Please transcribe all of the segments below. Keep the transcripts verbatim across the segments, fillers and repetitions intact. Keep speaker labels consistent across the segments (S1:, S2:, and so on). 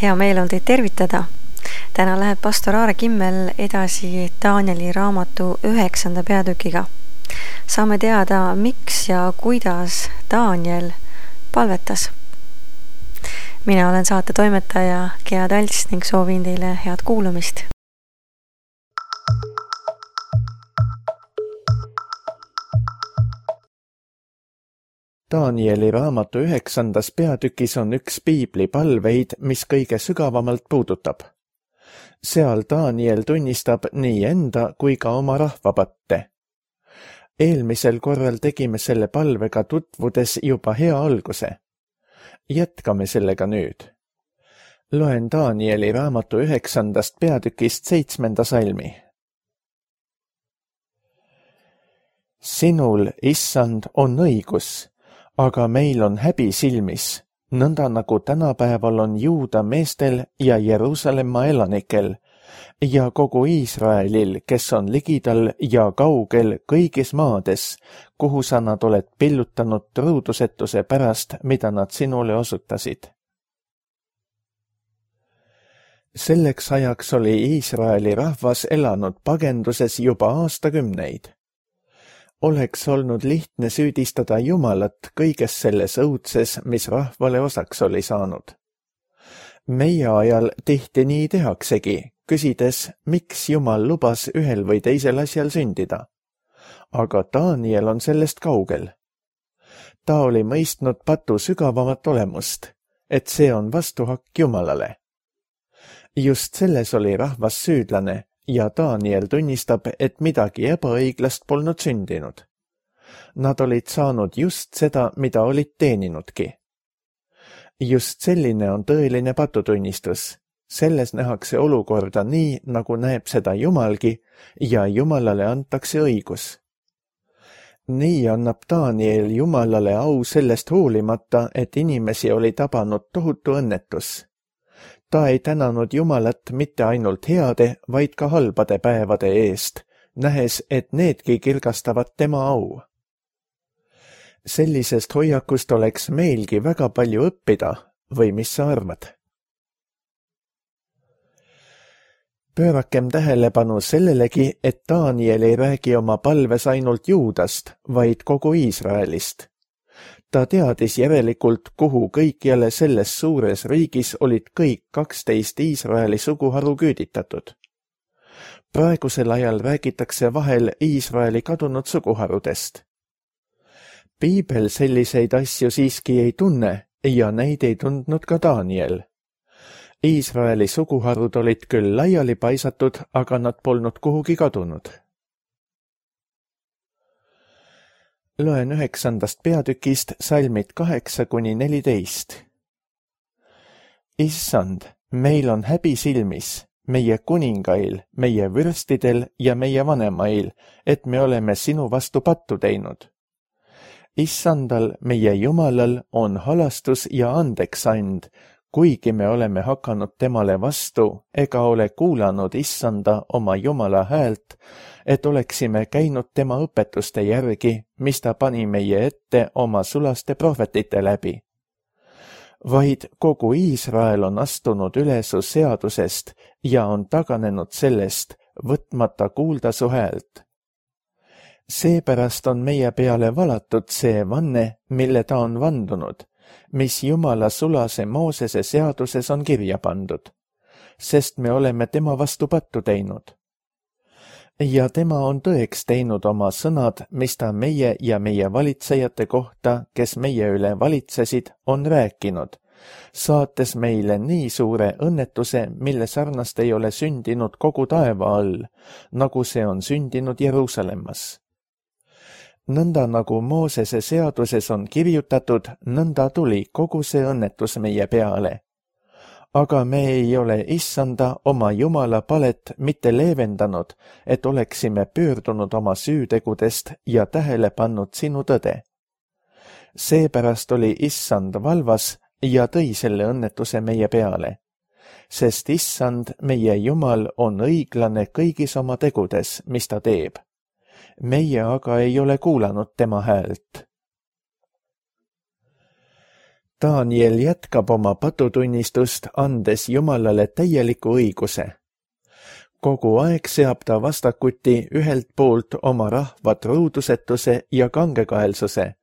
S1: Hea meel on teid tervitada. Täna läheb pastor Aare Kimmel edasi Danieli raamatu üheksanda peatükiga. Saame teada, miks ja kuidas Daniel palvetas. Mina olen saate toimetaja Gea Talts ning soovin teile head kuulamist.
S2: Danieli raamatu üheksandas peatükis on üks piibli palveid, mis kõige sügavamalt puudutab. Seal Daniel tunnistab nii enda kui ka oma rahva patte. Eelmisel korral tegime selle palvega tutvudes juba hea alguse. Jätkame sellega nüüd. Loen Danieli raamatu üheksandast peatükist seitsmenda salmi. Sinul, issand, on õigus, aga meil on häbi silmis, nõnda nagu tänapäeval on Juuda meestel ja Jeruusalemma elanikel ja kogu Iisraelil, kes on ligidal ja kaugel kõigis maades, kuhu sa nad oled pillutanud truudusetuse pärast, mida nad sinule osutasid. Selleks ajaks oli Iisraeli rahvas elanud pagenduses juba aastakümneid. Oleks olnud lihtne süüdistada Jumalat kõiges selles õudses, mis rahvale osaks oli saanud. Meie ajal tihti nii tehaksegi, küsides, miks Jumal lubas ühel või teisel asjal sündida. Aga Daniel on sellest kaugel. Ta oli mõistnud patu sügavamat olemust, et see on vastuhakk Jumalale. Just selles oli rahvas süüdlane, ja Daniel tunnistab, et midagi ebaõiglast polnud sündinud. Nad olid saanud just seda, mida olid teeninudki. Just selline on tõeline patutunnistus. Selles nähakse olukorda nii, nagu näeb seda Jumalgi, ja Jumalale antakse õigus. Nii annab Daniel Jumalale au sellest hoolimata, et inimesi oli tabanud tohutu õnnetus. Ta ei tänanud Jumalat mitte ainult heade, vaid ka halbade päevade eest, nähes, et needki kirgastavad tema au. Sellisest hoiakust oleks meilgi väga palju õppida, või mis sa arvad? Pöörakem tähelepanu sellelegi, et Daniel ei räägi oma palves ainult Juudast, vaid kogu Iisraelist. Ta teadis järelikult, kuhu kõikjale selles suures riigis olid kõik kaksteist Iisraeli suguharu küüditatud. Praegusel ajal räägitakse vahel Iisraeli kadunud suguharudest. Piibel selliseid asju siiski ei tunne ja neid ei tundnud ka Daniel. Iisraeli suguharud olid küll laiali paisatud, aga nad polnud kuhugi kadunud. Loen üheksandast peatükist salmid kaheksa kuni neliteist. Issand, meil on häbi silmis, meie kuningail, meie vürstidel ja meie vanemail, et me oleme sinu vastu pattu teinud. Issandal, meie Jumalal, on halastus ja andeksand, kuigi me oleme hakanud temale vastu ega ole kuulanud Issanda oma Jumala häält, et oleksime käinud tema õpetuste järgi, mis ta pani meie ette oma sulaste prohvetite läbi. Vaid kogu Iisrael on astunud üle su seadusest ja on taganenud sellest, võtmata kuulda su häält. Seepärast on meie peale valatud see vanne, mille ta on vandunud, mis Jumala sulase Moosese seaduses on kirja pandud, sest me oleme tema vastu pattu teinud. Ja tema on tõeks teinud oma sõnad, mis ta meie ja meie valitsejate kohta, kes meie üle valitsesid, on rääkinud, saates meile nii suure õnnetuse, mille sarnast ei ole sündinud kogu taeva all, nagu see on sündinud Jeruusalemmas. Nõnda nagu Moosese seaduses on kirjutatud, nõnda tuli kogu see õnnetus meie peale. Aga me ei ole Issanda oma Jumala palet mitte leevendanud, et oleksime pöördunud oma süütegudest ja tähele pannud sinu tõde. Seepärast oli Issand valvas ja tõi selle õnnetuse meie peale, sest Issand, meie Jumal, on õiglane kõigis oma tegudes, mis ta teeb. Meie aga ei ole kuulanud tema häält. Daniel jätkab oma patutunnistust, andes Jumalale täieliku õiguse. Kogu aeg seab ta vastakuti ühelt poolt oma rahva truudusetuse ja kangekaelsuse,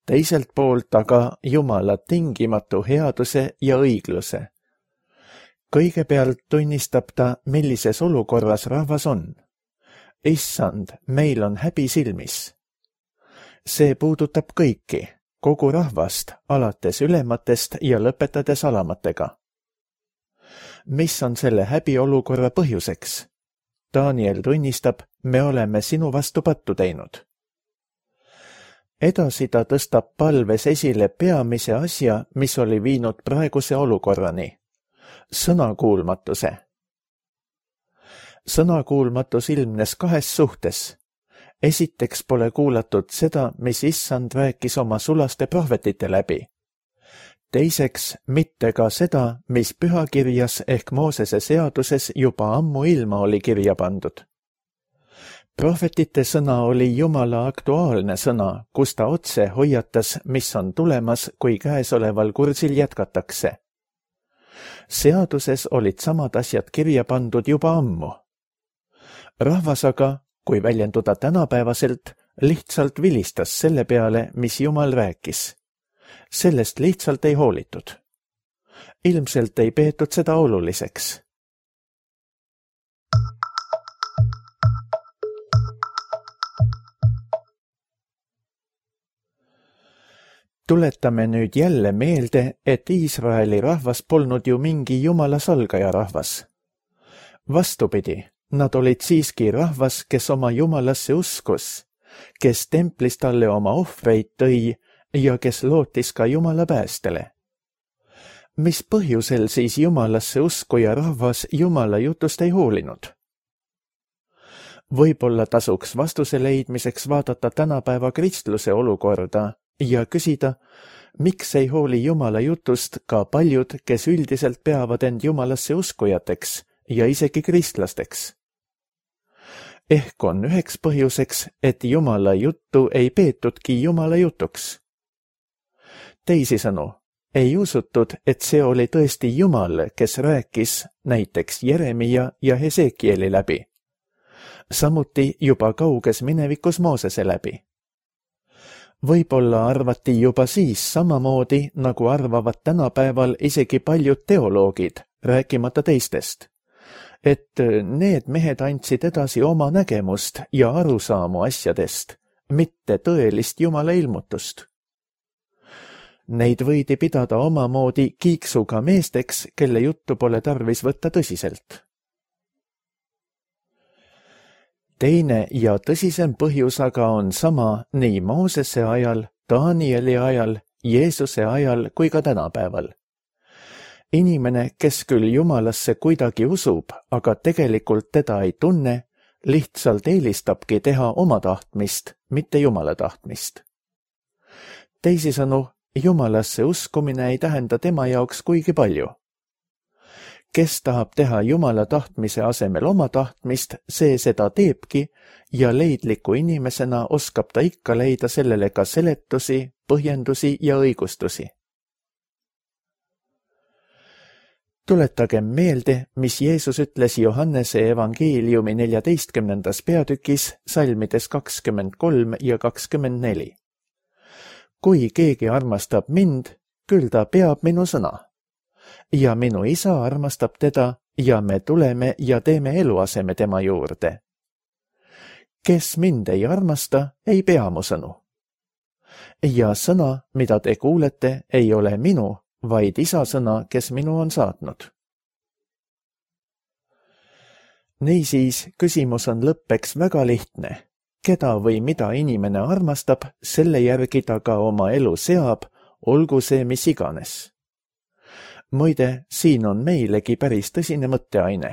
S2: teiselt poolt aga Jumala tingimatu headuse ja õigluse. Kõigepealt tunnistab ta, millises olukorras rahvas on. Issand, meil on häbi silmis. See puudutab kõiki, kogu rahvast, alates ülematest ja lõpetades alamatega. Mis on selle häbiolukorra põhjuseks? Daniel tunnistab, me oleme sinu vastu pattu teinud. Edasi ta tõstab palves esile peamise asja, mis oli viinud praeguse olukorrani. Sõnakuulmatuse. Sõnakuulmatus ilmnes kahes suhtes. Esiteks pole kuulatud seda, mis Issand rääkis oma sulaste prohvetite läbi. Teiseks mitte ka seda, mis pühakirjas ehk Moosese seaduses juba ammu ilma oli kirja pandud. Prohvetite sõna oli Jumala aktuaalne sõna, kus ta otse hoiatas, mis on tulemas, kui käesoleval kursil jätkatakse. Seaduses olid samad asjad kirja pandud juba ammu. Rahvas aga, kui väljenduda tänapäevaselt, lihtsalt vilistas selle peale, mis Jumal rääkis. Sellest lihtsalt ei hoolitud. Ilmselt ei peetud seda oluliseks. Tuletame nüüd jälle meelde, et Iisraeli rahvas polnud ju mingi Jumala salgaja rahvas. Vastupidi, nad olid siiski rahvas, kes oma Jumalasse uskus, kes templis talle oma ohvreid tõi ja kes lootis ka Jumala päästele. Mis põhjusel siis Jumalasse uskuja rahvas Jumala jutust ei hoolinud? Võib-olla tasuks vastuse leidmiseks vaadata tänapäeva kristluse olukorda ja küsida, miks ei hooli Jumala jutust ka paljud, kes üldiselt peavad end Jumalasse uskujateks ja isegi kristlasteks. Ehk on üheks põhjuseks, et Jumala juttu ei peetudki Jumala jutuks. Teisisõnu, ei usutud, et see oli tõesti Jumal, kes rääkis näiteks Jeremia ja Hesekieli läbi. Samuti juba kauges minevikus Moosese läbi. Võib-olla arvati juba siis samamoodi, nagu arvavad tänapäeval isegi paljud teoloogid, rääkimata teistest, et need mehed andsid edasi oma nägemust ja arusaamu asjadest, mitte tõelist Jumala ilmutust. Neid võidi pidada omamoodi kiiksuga meesteks, kelle juttu pole tarvis võtta tõsiselt. Teine ja tõsisem põhjus aga on sama nii Moosese ajal, Danieli ajal, Jeesuse ajal kui ka tänapäeval. Inimene, kes küll Jumalasse kuidagi usub, aga tegelikult teda ei tunne, lihtsalt eelistabki teha oma tahtmist, mitte Jumala tahtmist. Teisisõnu, Jumalasse uskumine ei tähenda tema jaoks kuigi palju. Kes tahab teha Jumala tahtmise asemel oma tahtmist, see seda teebki ja leidliku inimesena oskab ta ikka leida sellele ka seletusi, põhjendusi ja õigustusi. Tuletagem meelde, mis Jeesus ütles Johannese evangeeliumi neljateistkümnendas peatükis, salmides kakskümmend kolm ja kakskümmend neli. Kui keegi armastab mind, küll ta peab minu sõna. Ja minu isa armastab teda ja me tuleme ja teeme eluaseme tema juurde. Kes mind ei armasta, ei pea mu sõnu. Ja sõna, mida te kuulete, ei ole minu, vaid isa sõna, kes minu on saatnud. Niisiis, küsimus on lõppeks väga lihtne. Keda või mida inimene armastab, selle järgi ta ka oma elu seab, olgu see mis iganes. Muide, siin on meilegi päris tõsine mõtteaine.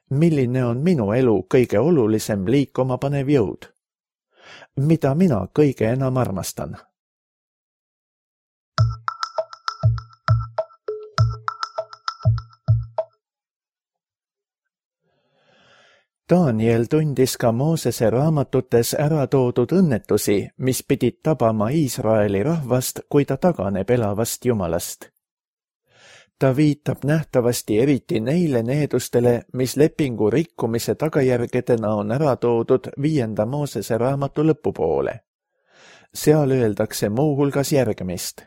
S2: Milline on minu elu kõige olulisem liikuma panev jõud? Mida mina kõige enam armastan? Daniel tundis ka Moosese raamatutes ära toodud õnnetusi, mis pidid tabama Iisraeli rahvast, kui ta taganeb elavast Jumalast. Ta viitab nähtavasti eriti neile needustele, mis lepingu rikkumise tagajärgedena on ära toodud viienda Moosese raamatu lõpupoole. Seal öeldakse muuhulgas järgmist.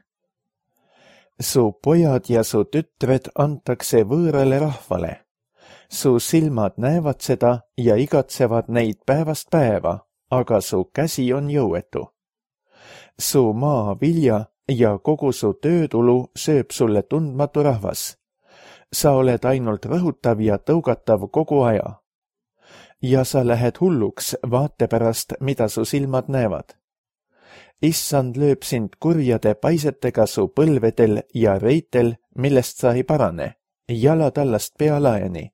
S2: Su pojad ja su tütred antakse võõrale rahvale. Su silmad näevad seda ja igatsevad neid päevast päeva, aga su käsi on jõuetu. Su maa vilja ja kogu su töötulu sööb sulle tundmatu rahvas. Sa oled ainult rõhutav ja tõugatav kogu aja. Ja sa lähed hulluks vaate pärast, mida su silmad näevad. Issand lööb sind kurjade paisetega su põlvedel ja reitel, millest sa ei parane, jalatallast pealaeni.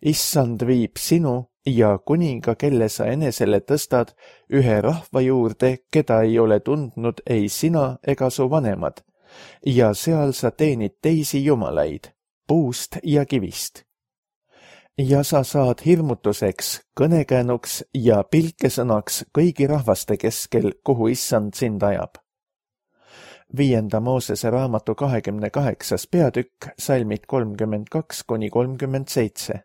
S2: Issand viib sinu ja kuninga, kelle sa enesele tõstad, ühe rahva juurde, keda ei ole tundnud ei sina ega su vanemad, ja seal sa teenid teisi jumalaid, puust ja kivist. Ja sa saad hirmutuseks, kõnekäänuks ja pilkesõnaks kõigi rahvaste keskel, kuhu Issand sind ajab. Viienda Moosese raamatu kahekümne kaheksas peatükk, salmid kolmkümmend kaks kuni kolmkümmend seitse.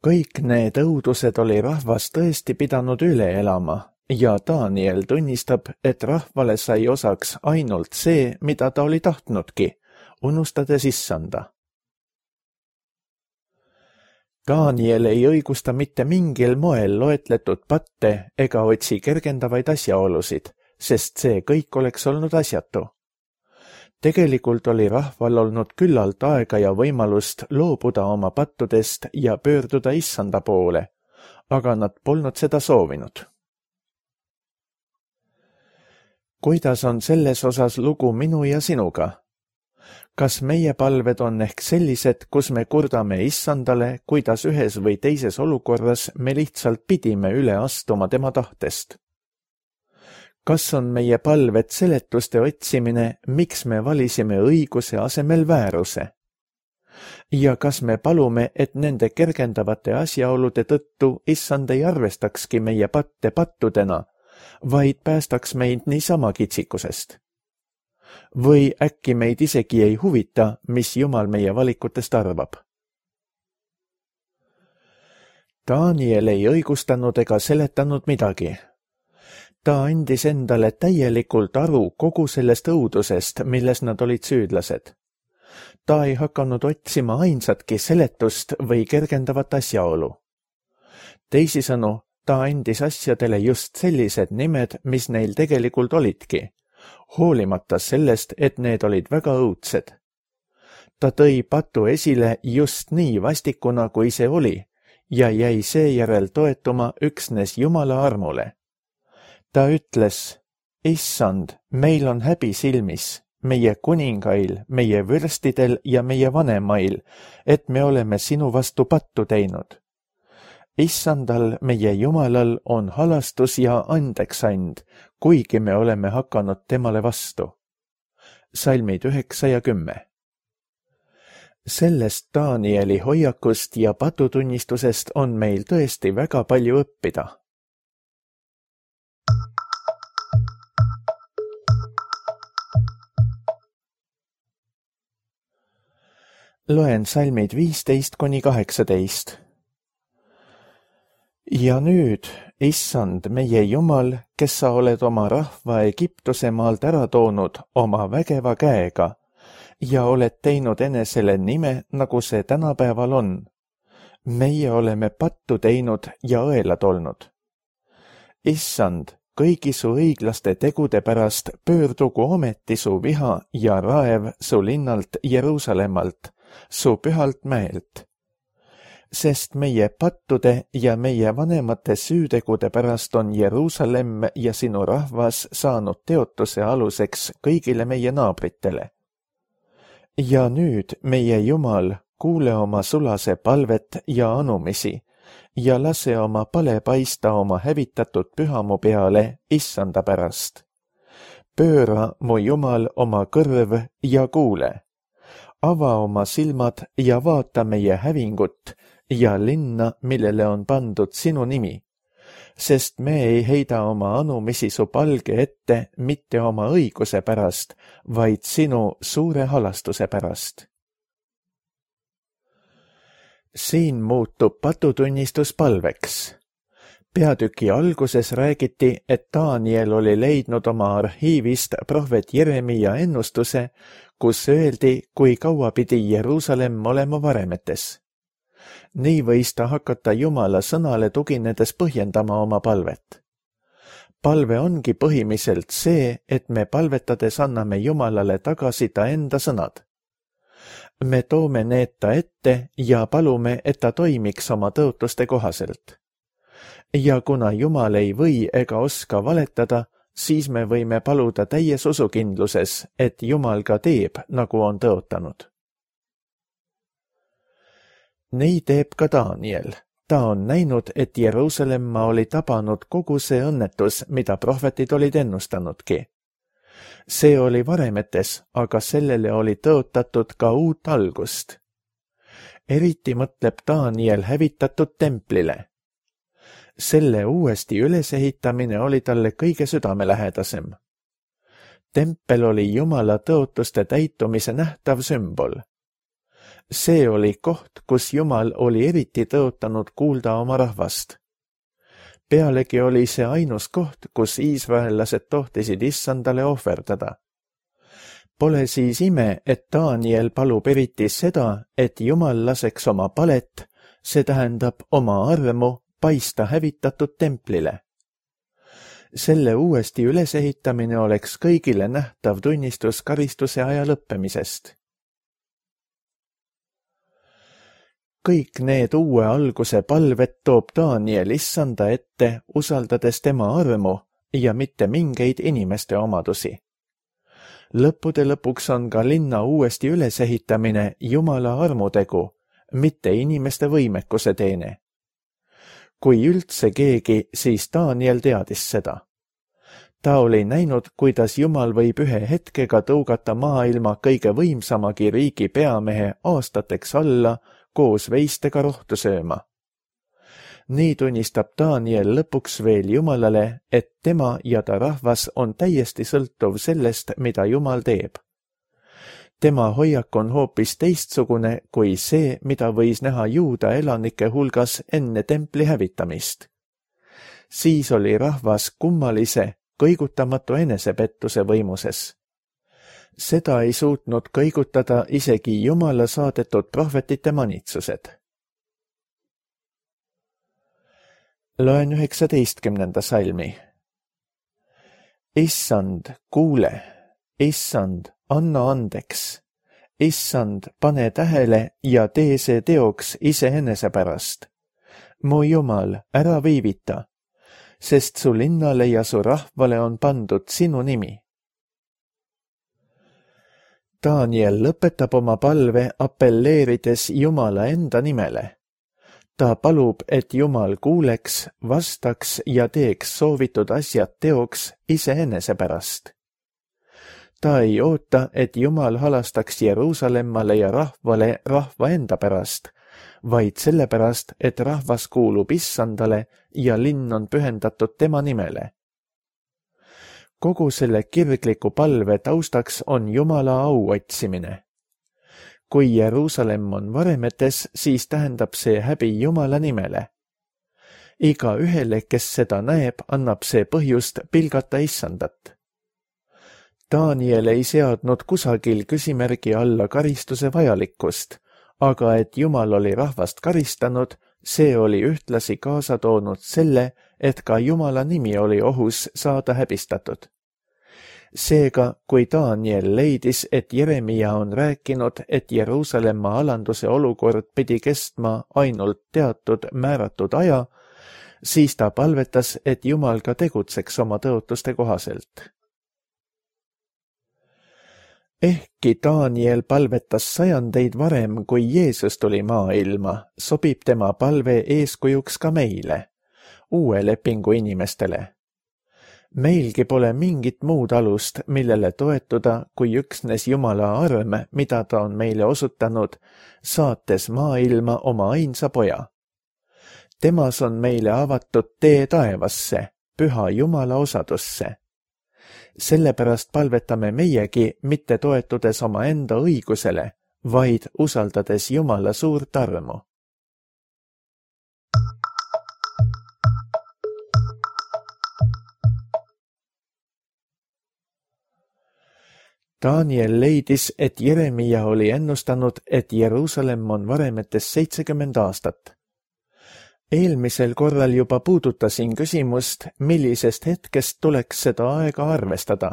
S2: Kõik need õudused oli rahvas tõesti pidanud üle elama ja Daniel tunnistab, et rahvale sai osaks ainult see, mida ta oli tahtnudki, unustades Issanda. Daniel ei õigusta mitte mingil moel loetletud patte ega otsi kergendavaid asjaolusid, sest see kõik oleks olnud asjatu. Tegelikult oli rahval olnud küllalt aega ja võimalust loobuda oma pattudest ja pöörduda Issanda poole, aga nad polnud seda soovinud. Kuidas on selles osas lugu minu ja sinuga? Kas meie palved on ehk sellised, kus me kurdame Issandale, kuidas ühes või teises olukorras me lihtsalt pidime üle astuma tema tahtest? Kas on meie palved seletuste otsimine, miks me valisime õiguse asemel vääruse? Ja kas me palume, et nende kergendavate asjaolude tõttu Issand ei arvestakski meie patte pattudena, vaid päästaks meid niisama kitsikusest? Või äkki meid isegi ei huvita, mis Jumal meie valikutest arvab? Daniel ei õigustanud ega seletanud midagi. Ta andis endale täielikult aru kogu sellest õudusest, milles nad olid süüdlased. Ta ei hakanud otsima ainsatki seletust või kergendavat asjaolu. Teisisõnu, ta andis asjadele just sellised nimed, mis neil tegelikult olidki, hoolimata sellest, et need olid väga õudsed. Ta tõi patu esile just nii vastikuna, kui see oli, ja jäi seejärel toetuma üksnes Jumala armule. Ta ütles, Issand, meil on häbi silmis, meie kuningail, meie vürstidel ja meie vanemail, et me oleme sinu vastu pattu teinud. Issandal, meie Jumalal, on halastus ja andeksand, kuigi me oleme hakanud temale vastu. Salmid üheksa ja kümme. Sellest Danieli hoiakust ja patutunnistusest on meil tõesti väga palju õppida. Loen salmid viisteist kuni kaheksateist. Ja nüüd, Issand, meie Jumal, kes sa oled oma rahva Egiptuse maalt ära toonud oma vägeva käega ja oled teinud enesele nime, nagu see tänapäeval on. Meie oleme pattu teinud ja õelad olnud. Issand, kõigi su õiglaste tegude pärast pöördugu ometi su viha ja raev su linnalt Jeruusalemmalt, su pühalt mäelt. Sest meie pattude ja meie vanemate süütegude pärast on Jeruusalemm ja sinu rahvas saanud teotuse aluseks kõigile meie naabritele. Ja nüüd, meie Jumal, kuule oma sulase palvet ja anumisi ja lase oma pale paista oma hävitatud pühamu peale Issanda pärast. Pööra, mu Jumal, oma kõrv ja kuule. ava oma silmad ja vaata meie hävingut ja linna, millele on pandud sinu nimi, sest me ei heida oma anumisi su palge ette mitte oma õiguse pärast, vaid sinu suure halastuse pärast. Siin muutub patutunnistus palveks. Peatüki alguses räägiti, et Daniel oli leidnud oma arhiivist prohvet Jeremia ennustuse, kus öeldi, kui kaua pidi Jeruusalemm olema varemetes. Nii võis ta hakata Jumala sõnale tuginedes põhjendama oma palvet. Palve ongi põhimiselt see, et me palvetades anname Jumalale tagasi ta enda sõnad. Me toome need ta ette ja palume, et ta toimiks oma tõotuste kohaselt. Ja kuna Jumal ei või ega oska valetada, siis me võime paluda täies usukindluses, et Jumal ka teeb, nagu on tõotanud. Nii teeb ka Daniel. Ta on näinud, et Jeruusalemma oli tabanud kogu see õnnetus, mida prohvetid olid ennustanudki. See oli varemetes, aga sellele oli tõotatud ka uut algust. Eriti mõtleb Daniel hävitatud templile. Selle uuesti ülesehitamine oli talle kõige südamelähedasem. Tempel oli Jumala tõotuste täitumise nähtav sümbol. See oli koht, kus Jumal oli eriti tõotanud kuulda oma rahvast. Pealegi oli see ainus koht, kus iisraellased tohtisid issandale ohverdada. Pole siis ime, et Daniel palub eriti seda, et Jumal laseks oma palet, see tähendab oma armu, paista hävitatud templile. Selle uuesti ülesehitamine oleks kõigile nähtav tunnistus karistuse aja lõppemisest. Kõik need uue alguse palved toob Daniel issanda ette, usaldades tema armu ja mitte mingeid inimeste omadusi. Lõppude lõpuks on ka linna uuesti ülesehitamine Jumala armutegu, mitte inimeste võimekuse teene. Kui üldse keegi, siis Daniel teadis seda. Ta oli näinud, kuidas Jumal võib ühe hetkega tõugata maailma kõige võimsamagi riigi peamehe aastateks alla koos veistega rohtu sööma. Nii tunnistab Daniel lõpuks veel Jumalale, et tema ja ta rahvas on täiesti sõltuv sellest, mida Jumal teeb. Tema hoiak on hoopis teistsugune kui see, mida võis näha juuda elanike hulgas enne templi hävitamist. Siis oli rahvas kummalise, kõigutamatu enesepettuse võimuses. Seda ei suutnud kõigutada isegi Jumala saadetud prohvetite manitsused. Loen üheksateistkümnenda salmi. Issand, kuule, issand, anna andeks. Issand, pane tähele ja tee see teoks iseenese pärast. Mu Jumal, ära viivita, sest su linnale ja su rahvale on pandud sinu nimi. Daniel lõpetab oma palve apelleerides Jumala enda nimele. Ta palub, et Jumal kuuleks, vastaks ja teeks soovitud asjad teoks iseenese pärast. Ta ei oota, et Jumal halastaks Jeruusalemmale ja rahvale rahva enda pärast, vaid sellepärast, et rahvas kuulub issandale ja linn on pühendatud tema nimele. Kogu selle kirgliku palve taustaks on Jumala au otsimine. Kui Jeruusalemm on varemetes, siis tähendab see häbi Jumala nimele. Iga ühele, kes seda näeb, annab see põhjust pilgata issandat. Daniel ei seadnud kusagil küsimärgi alla karistuse vajalikkust, aga et Jumal oli rahvast karistanud, see oli ühtlasi kaasa toonud selle, et ka Jumala nimi oli ohus saada häbistatud. Seega, kui Daniel leidis, et Jeremia on rääkinud, et Jeruusalemma alanduse olukord pidi kestma ainult teatud määratud aja, siis ta palvetas, et Jumal ka tegutseks oma tõotuste kohaselt. Ehkki Daniel palvetas sajandeid varem, kui Jeesus tuli maailma, sobib tema palve eeskujuks ka meile, uue lepingu inimestele. Meilgi pole mingit muud alust, millele toetuda, kui üksnes Jumala arm, mida ta on meile osutanud, saates maailma oma ainsa poja. Temas on meile avatud tee taevasse, püha Jumala osadusse. Sellepärast palvetame meiegi mitte toetudes oma enda õigusele, vaid usaldades Jumala suurt armu. Daniel leidis, et Jeremia oli ennustanud, et Jeruusalemm on varemetes seitsekümmend aastat. Eelmisel korral juba puudutasin küsimust, millisest hetkest tuleks seda aega arvestada.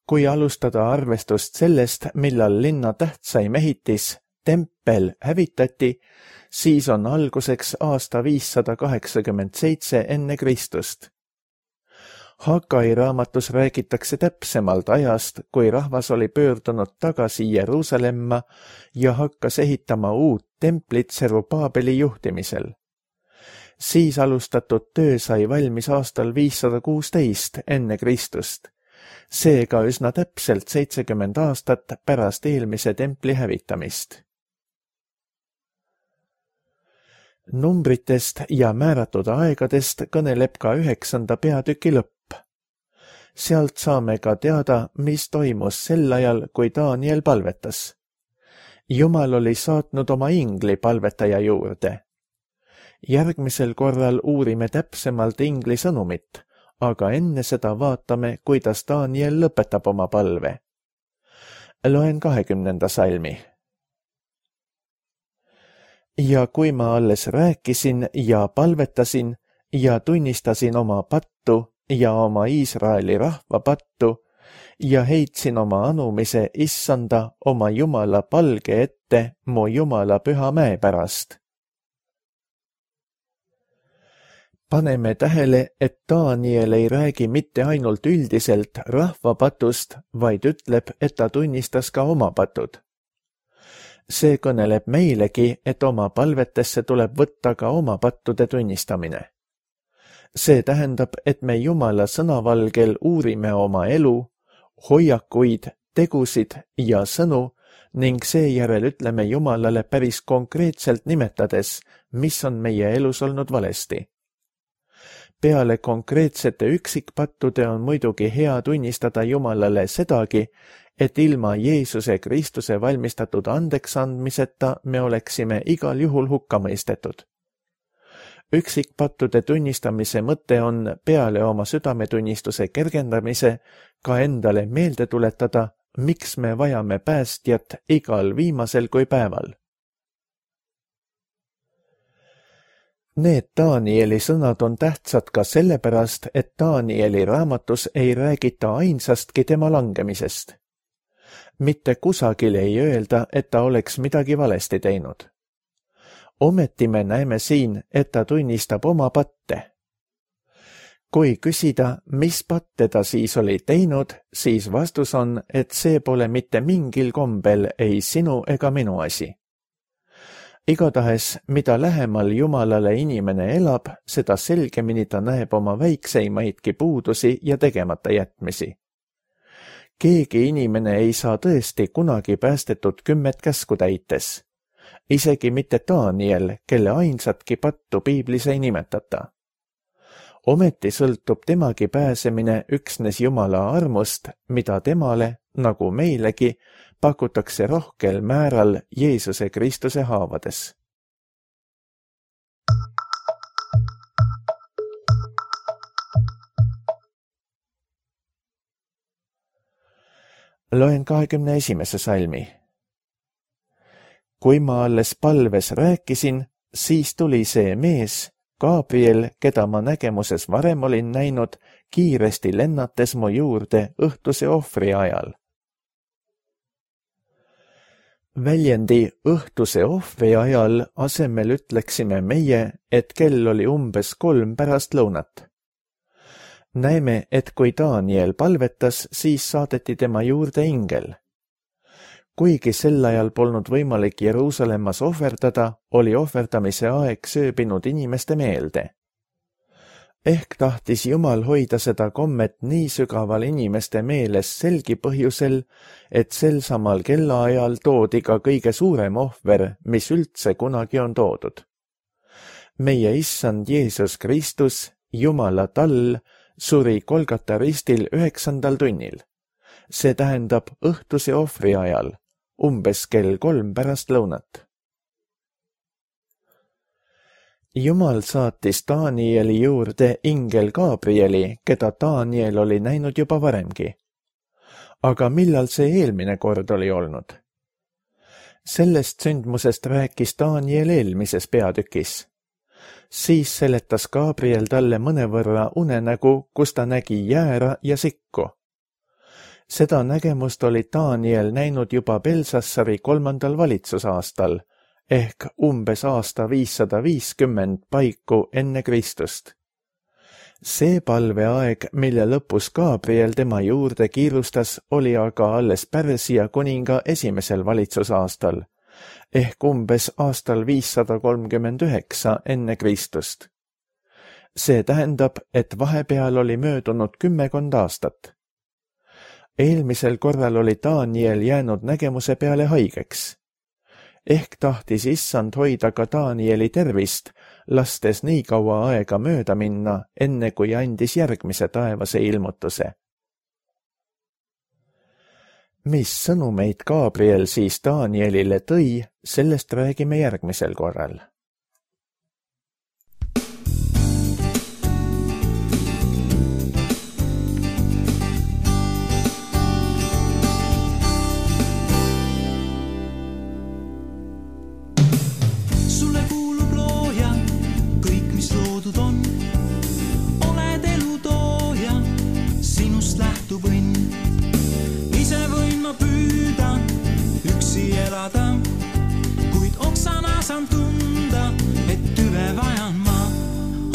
S2: Kui alustada arvestust sellest, millal linna tähtsaim ehitis, tempel, hävitati, siis on alguseks aasta viissada kaheksakümmend seitse enne Kristust. Hagai raamatus räägitakse täpsemalt ajast, kui rahvas oli pöördunud tagasi Jeruusalemma ja hakkas ehitama uut templit Serubaabeli juhtimisel. Siis alustatud töö sai valmis aastal viissada kuusteist enne Kristust, seega üsna täpselt seitsekümmend aastat pärast eelmise templi hävitamist. Numbritest ja määratud aegadest kõneleb ka üheksanda peatüki lõpp. Sealt saame ka teada, mis toimus sel ajal, kui Daniel palvetas. Jumal oli saatnud oma ingli palvetaja juurde. Järgmisel korral uurime täpsemalt ingli sõnumit, aga enne seda vaatame, kuidas Daniel lõpetab oma palve. Loen kahekümnenda salmi. Ja kui ma alles rääkisin ja palvetasin ja tunnistasin oma pattu ja oma Iisraeli rahva pattu ja heitsin oma anumise issanda oma Jumala palge ette mu Jumala püha mäe pärast. Paneme tähele, et Daniel ei räägi mitte ainult üldiselt rahva patust, vaid ütleb, et ta tunnistas ka oma patud. See kõneleb meilegi, et oma palvetesse tuleb võtta ka oma pattude tunnistamine. See tähendab, et me Jumala sõnavalgel uurime oma elu, hoiakuid, tegusid ja sõnu ning seejärel ütleme Jumalale päris konkreetselt nimetades, mis on meie elus olnud valesti. Peale konkreetsete üksikpattude on muidugi hea tunnistada Jumalale sedagi, et ilma Jeesuse Kristuse valmistatud andeksandmiseta me oleksime igal juhul hukka mõistetud. Üksikpattude tunnistamise mõte on peale oma südametunnistuse kergendamise ka endale meelde tuletada, miks me vajame päästjat igal viimasel kui päeval. Need Danieli sõnad on tähtsad ka sellepärast, et Danieli raamatus ei räägita ainsastki tema langemisest. Mitte kusagil ei öelda, et ta oleks midagi valesti teinud. Ometi me näeme siin, et ta tunnistab oma patte. Kui küsida, mis patte ta siis oli teinud, siis vastus on, et see pole mitte mingil kombel ei sinu ega minu asi. Igatahes, mida lähemal Jumalale inimene elab, seda selgemini ta näeb oma väikseimaidki puudusi ja tegemata jätmisi. Keegi inimene ei saa tõesti kunagi päästetud kümmet käsku täites. Isegi mitte Daniel, kelle ainsatki pattu piiblis ei nimetata. Ometi sõltub temagi pääsemine üksnes Jumala armust, mida temale, nagu meilegi, pakutakse rohkel määral Jeesuse Kristuse haavades. Loen kahekümne esimese salmi. Kui ma alles palves rääkisin, siis tuli see mees, Gabriel, keda ma nägemuses varem olin näinud, kiiresti lennates mu juurde õhtuse ohvri ajal. Väljendi õhtuse ohvri ajal asemel ütleksime meie, et kell oli umbes kolm pärast lõunat. Näeme, et kui Daniel palvetas, siis saadeti tema juurde ingel. Kuigi sel ajal polnud võimalik Jeruusalemmas ohverdada, oli ohverdamise aeg sööbinud inimeste meelde. Ehk tahtis Jumal hoida seda kommet nii sügaval inimeste meeles selgi põhjusel, et sel samal kellaajal toodi ka kõige suurem ohver, mis üldse kunagi on toodud. Meie issand Jeesus Kristus, Jumala tall, suri Golgata ristil üheksandal tunnil. See tähendab õhtuse ohvri ajal, umbes kell kolm pärast lõunat. Jumal saatis Danieli juurde ingel Gabrieli, keda Daniel oli näinud juba varemgi. Aga millal see eelmine kord oli olnud? Sellest sündmusest rääkis Daniel eelmises peatükis. Siis seletas Gabriel talle mõnevõrra unenägu, kus ta nägi jäära ja sikku. Seda nägemust oli Daniel näinud juba Belsassari kolmandal valitsusaastal, ehk umbes aasta viissada viiskümmend paiku enne Kristust. See palveaeg, mille lõpus Gabriel tema juurde kiirustas, oli aga alles Pärsia kuninga esimesel valitsusaastal, ehk umbes aastal viissada kolmkümmend üheksa enne Kristust. See tähendab, et vahepeal oli möödunud kümmekond aastat. Eelmisel korral oli Daniel jäänud nägemuse peale haigeks. Ehk tahtis issand hoida ka Danieli tervist, lastes nii kaua aega mööda minna, enne kui andis järgmise taevase ilmutuse. Mis sõnumeid Gabriel siis Danielile tõi, sellest räägime järgmisel korral.
S3: Kuid oksana saan tunda, et tüve vajan ma.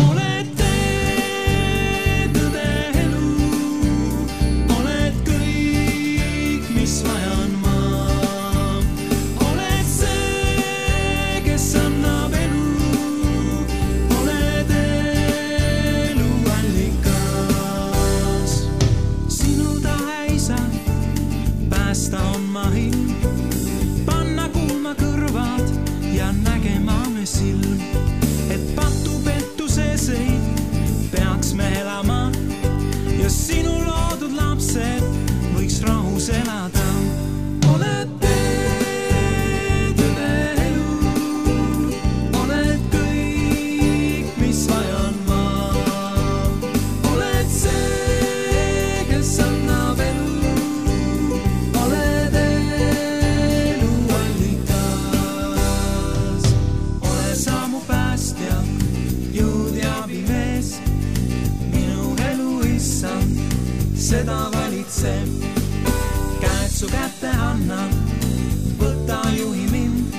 S3: Oled tee, tõde elu, oled kõik, mis vajan ma. Oled see, kes annab elu, oled elu allikas. Sinu tahe isa, päästa on ma hind. Silm, et patu pettuseseid peaks me elama ja sinu loodud lapsed võiks rahus elada. Oled tee, tõde elu, oled kõik, mis vajan ma. Oled see, kes annab elu, oled elu allikas. Seda valitseb, käed su kätte annan, võta juhi mind,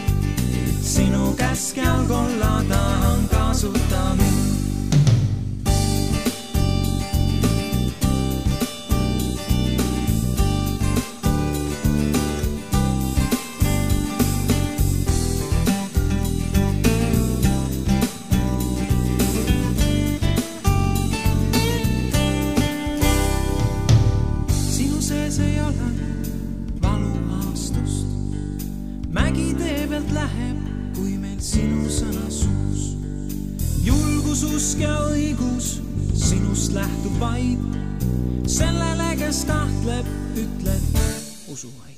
S3: sinu käsk jalgolla tahan kasuta mind. Mägi tee pealt läheb, kui meil sinu sõna suus. Julgus, usk ja õigus sinust lähtub vaid. Sellele, kes kahtleb, ütled usu vaid.